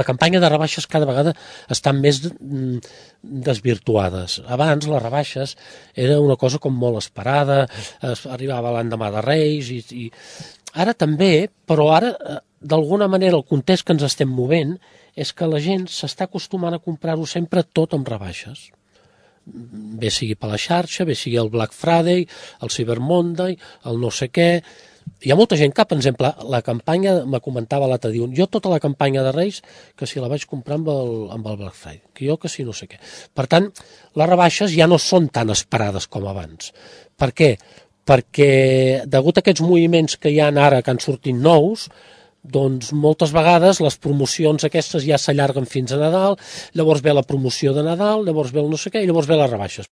la campanya de rebaixes cada vegada estan més desvirtuades. Abans les rebaixes era una cosa com molt esperada, arribava l'endemà de Reis, i ara també, però ara d'alguna manera el context que ens estem movent és que la gent s'està acostumant a comprar-ho sempre tot amb rebaixes. Bé sigui per la xarxa, bé sigui el Black Friday, el Cyber Monday, el no sé què. Hi ha molta gent que, per exemple, la campanya, me comentava l'altre dia, jo tota la campanya de Reis, que si la vaig comprar amb el Black Friday, que jo que si no sé què. Per tant, les rebaixes ja no són tan esperades com abans. Per què? Perquè, degut a aquests moviments que hi ha ara, que han sortit nous, doncs moltes vegades les promocions aquestes ja s'allarguen fins a Nadal, llavors ve la promoció de Nadal, llavors ve el no sé què i llavors ve les rebaixes.